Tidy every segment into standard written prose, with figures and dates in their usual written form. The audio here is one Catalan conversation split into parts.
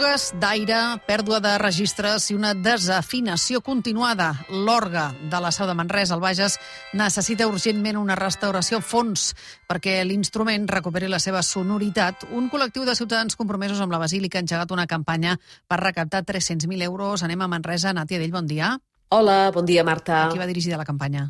fugues d'aire, pèrdua de registres i una desafinació continuada. L'orgue de la Seu de Manresa, al Bages, necessita urgentment una restauració a fons perquè l'instrument recuperi la seva sonoritat. Un col·lectiu de ciutadans compromesos amb la Basílica ha engegat una campanya per recaptar 300.000 euros. Anem a Manresa. Nàtia Dell, bon dia. Hola, bon dia, Marta. A qui va dirigida la campanya?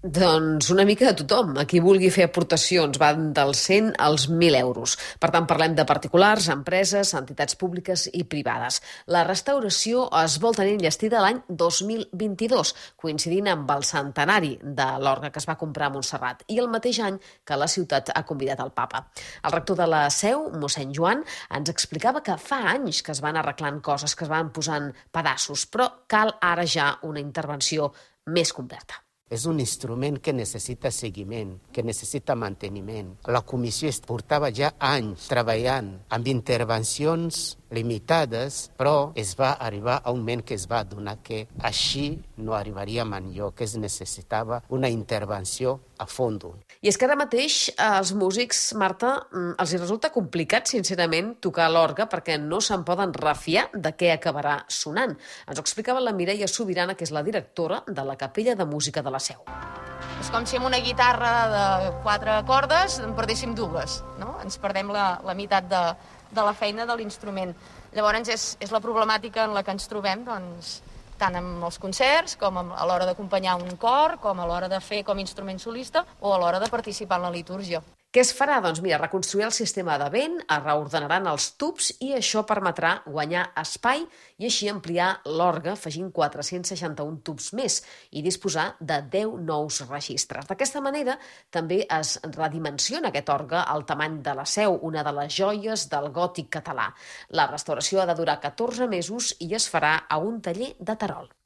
Doncs una mica de tothom. A qui vulgui fer aportacions van dels 100 als 1.000 euros. Per tant, parlem de particulars, empreses, entitats públiques i privades. La restauració es vol tenir enllestida l'any 2022, coincidint amb el centenari de l'orgue que es va comprar a Montserrat i el mateix any que la ciutat ha convidat el papa. El rector de la Seu, mossèn Joan, ens explicava que fa anys que es van arreglant coses, que es van posant pedaços, però cal ara ja una intervenció més completa. És un instrument que necessita seguiment, que necessita manteniment. La comissió portava ja anys treballant amb intervencions limitades, però es va arribar a un moment que es va adonar que així no arribaríem enlloc, que es necessitava una intervenció a fons. I és que ara mateix als músics, Marta, els resulta complicat, sincerament, tocar l'orgue perquè no se'n poden refiar de què acabarà sonant. Ens ho explicava la Mireia Sobirana, que és la directora de la Capella de Música de la Seu. És com si amb una guitarra de 4 cordes en perdéssim dues, no? Ens perdem la meitat de la feina de l'instrument. Llavors és la problemàtica en la que ens trobem, doncs, tant amb els concerts, com a l'hora d'acompanyar un cor, com a l'hora de fer com a instrument solista o a l'hora de participar en la litúrgia. Què es farà? Doncs mira, reconstruir el sistema de vent, es reordenaran els tubs i això permetrà guanyar espai i així ampliar l'orgue afegint 461 tubs més i disposar de 10 nous registres. D'aquesta manera també es redimensiona aquest orgue al tamany de la Seu, una de les joies del gòtic català. La restauració ha de durar 14 mesos i es farà a un taller de Terol.